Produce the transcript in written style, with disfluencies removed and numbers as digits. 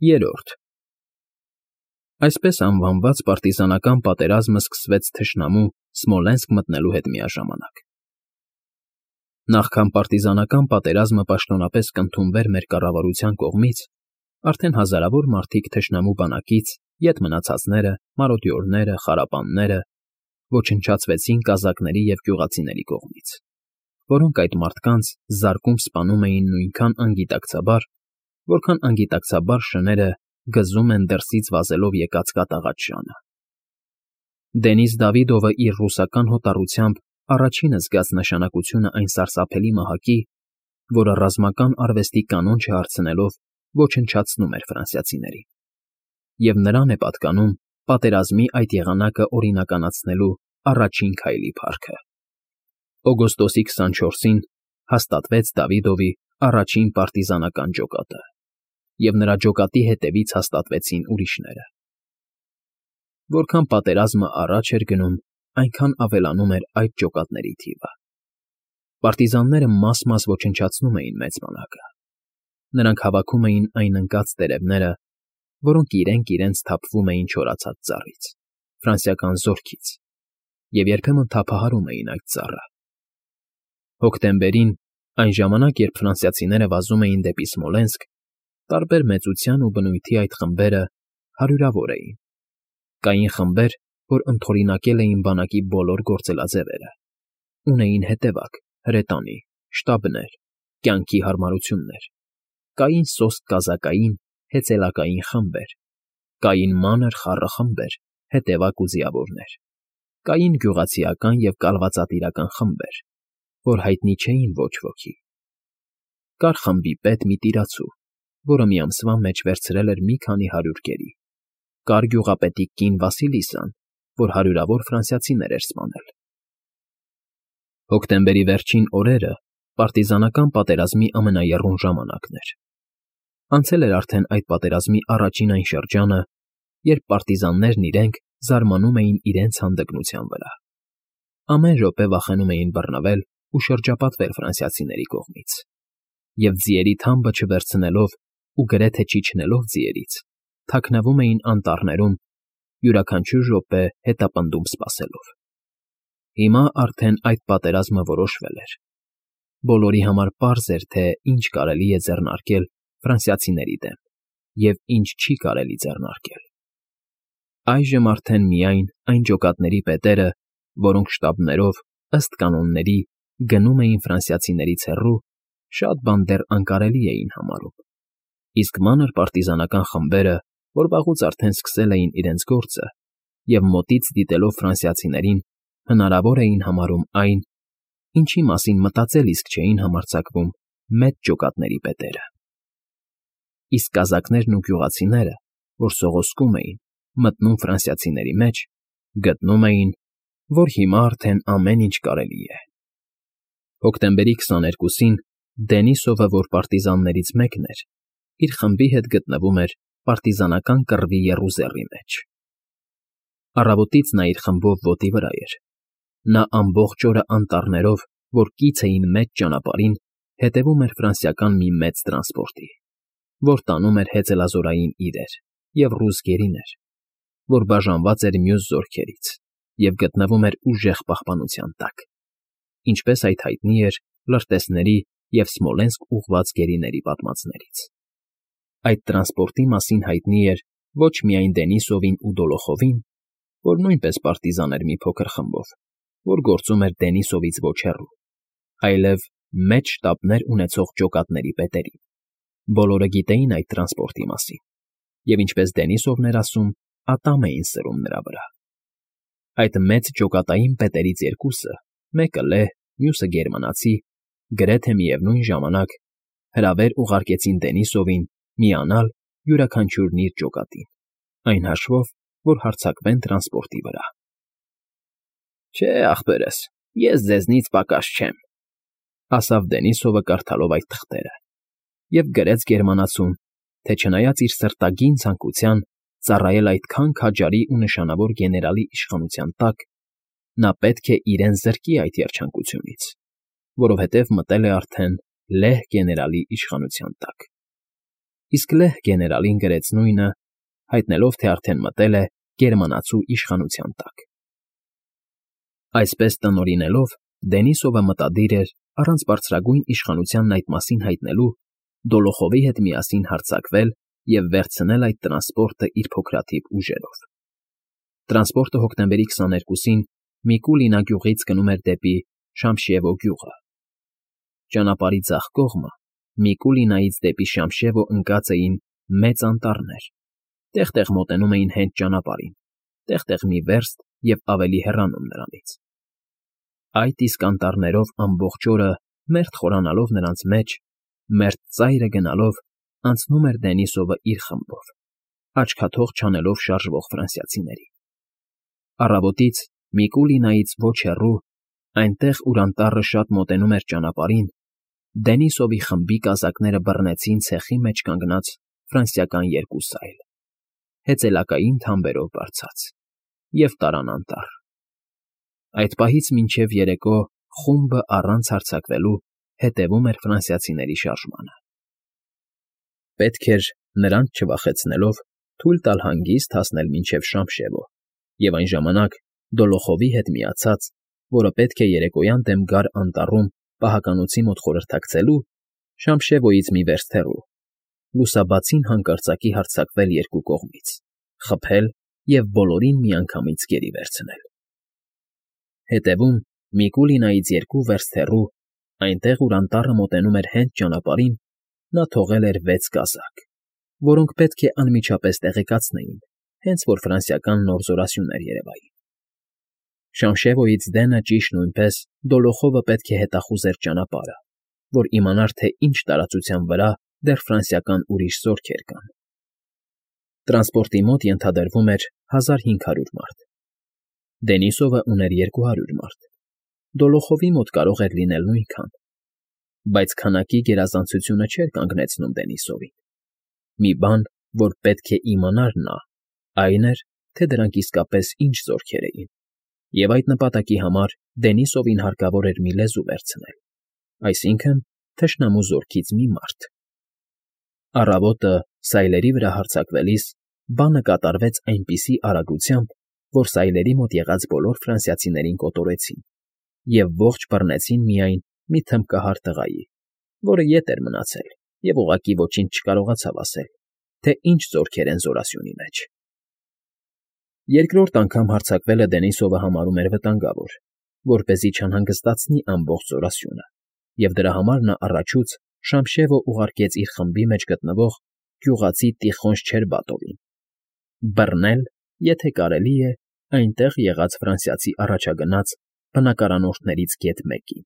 Երրորդ Այսպես անվանված պարտիզանական պատերազմը սկսվեց թշնամու Սմոլենսկ մտնելու հետ միաժամանակ։ Նախքան պարտիզանական պատերազմը պաշտոնապես կընդունվեր մեր կառավարության կողմից, արդեն հազարավոր մարդիկ թշնամու բանակից, ետ մնացածները, մարոդյորները, խարապանները, ոչնչացվեցին կազակների և գյուղացիների կողմից, որոնք այդ մարդկանց զարկում սպանում էին նույնքան անգիտակցաբար, որքան անգիտակցաբար շները գզում են դրսից վազելով եկած կատաղած ժանը։ Դենիս Դավիդովը իր ռուսական հոտառությամբ առաջինը զգաց նշանակությունը այն սարսափելի մահակի, որը ռազմական արվեստի կանոն չհարցնելով ոչնչացնում էր ֆրանսիացիներին, և նրան է պատկանում պատերազմի այդ եղանակը օրինականացնելու առաջին քայլի փառքը։ Օգոստոսի 24-ին հաստատվեց Դավիդովի առաջին պարտիզանական ջոկատը, և նրա ջոկատի հետևից հաստատվեցին ուրիշները։ Որքան պատերազմը առաջ էր գնում, այնքան ավելանում էր այդ ջոկատների թիվը։ Պարտիզանները մաս-մաս ոչնչացնում էին մեծ բանակը։ Նրանք հավաքում էին այն ընկած տերևները, որոնք իրենք թափվում էին չորացած ծառից, ֆրանսիական զորքից, և երբեմն թափահարում էին այդ ծառը։ Հոկտեմբերին, այն ժամանակ, երբ ֆրանսիացիները վազում էին դեպի Սմոլենսկ, տարբեր մեծության ու բնույթի այդ խմբերը հարյուրավոր էին։ Կային խմբեր, որ ընդօրինակել էին բանակի բոլոր գործելաձևերը, ունեին հետևակ, հրետանի, շտաբներ, կյանքի հարմարություններ, կային սոսկ կազակային, հեծելակային խմբեր, կային մանր խառը խմբեր, հետևակ ու ձիավորներ, կային գյուղացիական և կալվածատիրական խմբեր, որ հայտնի չէին ոչ ոքի։ Կար խմբի պետ մի տիրացու, որը մի ամսվա մեջ վերցրել էր մի քանի հարյուր կերի, կար գյուղապետի կին Վասիլիսան, որ հարյուրավոր ֆրանսիացիներ էր սպանել։ Հոկտեմբերի վերջին օրերը պարտիզանական պատերազմի ամենաեռուն ժամանակն էր։ Անցել էր արդեն այդ պատերազմի առաջին այն շրջանը, երբ պարտիզաններն իրենք զարմանում էին իրենց հանդգնության վրա։ Ամեն րոպե վախենում էին բռնվել ու շրջապատվել ֆրանսիացիների կողմից, և ձիերի թամբը չվերցնելով ու գրեթե չիջնելով ձիերից, թաքնվում էին անտառներում, յուրաքանչյուր րոպե հետապնդում սպասելով։ Հիմա արդեն այդ պատերազմը որոշվել էր։ Բոլորի համար պարզ էր, թե ինչ կարելի է ձեռնարկել ֆրանսիացիների դեմ և ինչ չի կարելի ձեռնարկել։ Այժմ արդեն միայն այն ջոկատների պետերը, որոնք շտաբներով, ըստ կանոնների, գնում էին ֆրանսիացիներից հեռու, շատ բան դեռ անկարելի էին համարում, իսկ մանր պարտիզանական խմբերը, որ վաղուց արդեն սկսել էին իրենց գործը և մոտից դիտելով ֆրանսիացիներին, հնարավոր էին համարում այն, ինչի մասին մտածել իսկ չէին համարձակվում մեծ ջոկատների պետերը։ Իսկ կազակներն ու գյուղացիները, որ սողոսկում էին, մտնում ֆրանսիացիների մեջ, գտնում էին, որ հիմա արդեն ամեն ինչ կարելի է։ Հոկտեմբերի 22-ին Դենիսովը, որ պարտիզաններից մեկն էր, իր խմբի հետ գտնվում էր պարտիզանական կռվի եռուզեռի մեջ։ Առավոտից նա իր խմբով ոտի վրա էր։ Նա ամբողջ օրը անտառներով, որ կից էին մեծ ճանապարհին, հետևում էր ֆրանսիական մի մեծ տրանսպորտի, որ տանում էր հեծելազորային իրեր և ռուս գերիներ, որ բաժանված էր մյուս զորքերից և գտնվում էր ուժեղ պահպանության տակ, ինչպես այդ հայտնի էր լրտեսների և Սմոլենսկ ուղղված գերիների պատմածներից։ Այդ տրանսպորտի մասին հայտնի էր ոչ միայն Դենիսովին ու Դոլոխովին, որ նույնպես պարտիզան էր մի փոքր խմբով, որ գործում էր Դենիսովից ոչ հեռու, այլև մեծ շտաբներ ունեցող ջոկատների պետերին։ Բոլորը գիտեին այդ տրանսպորտի մասին, և ինչպես Դենիսովն էր ասում, ատամ էին սրում նրա վրա։ Այդ մեծ ջոկատային պետերից երկուսը, մեկը լեհ, մյուսը գերմանացի, գրեթե միևնույն ժամանակ հրավեր ուղարկեցին Դենիսովին միանալ յուրաքանչյուրն իր ջոկատին, այն հաշվով, որ հարձակվեն տրանսպորտի վրա։ Չէ, ախպերս, ես ձեզնից պակաս չեմ, ասավ Դենիսովը կարդալով այդ թղթերը, և գրեց գերմանացուն, թե չնայած իր սրտագին ցանկության ծառայել այդքան քաջարի ու նշանավոր գեներալի իշխանության տակ, նա պետք է իրեն զրկի այդ երջանկությունից, որովհետև մտել է արդեն լեհ գեներալի իշխանության տակ։ իսկ լեհ գեներալին գրեց նույնը, հայտնելով, թե արդեն մտել է գերմանացու իշխանության տակ։ Այսպես տնօրինելով, Դենիսովը մտադիր էր, առանց բարձրագույն իշխանությանն այդ մասին հայտնելու, Դոլոխովի հետ միասին հարձակվել և վերցնել այդ տրանսպորտը իր փոքրաթիվ ուժերով։ Տրանսպորտը հոկտեմբերի 22-ին Միկուլինա գյուղից գնում էր դեպի Շամշևո գյուղը։ Ճանապարհի ձախ կողմը Միկուլինայից դեպի Շամշևո ընկած էին մեծ անտառներ, տեղ֊տեղ մոտենում էին հենց ճանապարհին, տեղ֊տեղ մի վերստ և ավելի հեռանում նրանից։ Այդ իսկ անտառներով ամբողջ օրը, մերթ խորանալով նրանց մեջ, մերթ ծայրը գնալով, անցնում էր Դենիսովը իր խմբով, աչքաթող չանելով շարժվող ֆրանսիացիներին։ Առավոտից Միկուլինայից ոչ հեռու, այնտեղ, ուր անտառը շատ մոտենում էր ճանապարհին, Դենիսովի խմբի կազակները բռնեցին ցեխի մեջ կանգնած ֆրանսիական երկու սայլ, հեծելակային թամբերով բարձած, և տարան անտառ։ Այդ պահից մինչև երեկո խումբը առանց հարձակվելու հետևում էր ֆրանսիացիների շարժմանը։ Պետք էր, նրանց չվախեցնելով, թույլ տալ հանգիստ հասնել մինչև Շամշևո, և այն ժամանակ Դոլոխովի հետ միացած, որը պետք է երեկոյան դեմ գար անտառում պահականոցի մոտ խորհրդակցելու, Շամշևոյից մի վերստ հեռու, լուսաբացին հանկարծակի հարձակվել երկու կողմից, խփել և բոլորին միանգամից գերի վերցնել։ Հետևում Միկուլինայից երկու վերստ հեռու, այնտեղ, ուր անտառը մոտենում էր հենց ճանապարհին, նա թողել էր 6 կազակ, որոնք պետք է անմիջապես տեղեկացնեին, հենց որ ֆրանսիական նոր զորասյուններ երևային։ Շամշևոյից դենը ճիշտ նույնպես Դոլոխովը պետք է հետախուզեր ճանապարհը, որ իմանար, թե ինչ տարածության վրա դեռ ֆրանսիական ուրիշ զորքեր կան։ Տրանսպորտի մոտ ենթադրվում էր 1500 մարդ։ Դենիսովը ուներ 200 մարդ։ Դոլոխովի մոտ կարող էր լինել նույնքան, բայց քանակի գերազանցությունը չէր կանգնեցնում Դենիսովին։ Մի բան, որ պետք է իմանար նա, այն էր, թե դրանք իսկապես ինչ զորքեր էին, և այդ նպատակի համար Դենիսովին հարկավոր էր մի լեզու վերցնել, այսինքն՝ թշնամու զորքից մի մարդ։ Առավոտը սայլերի վրա հարձակվելիս բանը կատարվեց այնպիսի արագությամբ, որ սայլերի մոտ եղած բոլոր ֆրանսիացիներին կոտորեցին և ողջ բռնեցին միայն մի թմբկահար տղայի, որը ետ էր մնացել և ուղղակի ոչինչ չկարողացավ ասել, թե ինչ զորքեր են զորասյունի մեջ։ Երկրորդ անգամ հարձակվելը Դենիսովը համարում էր վտանգավոր, որպեսզի չանհանգստացնի ամբողջ զորասյունը, և դրա համար նա առաջուց Շամշևո ուղարկեց իր խմբի մեջ գտնվող գյուղացի Տիխոն Շչերբատովին բռնել, եթե կարելի է, այնտեղ եղած ֆրանսիացի առաջագնաց բնակարանորդներից գեթ մեկին։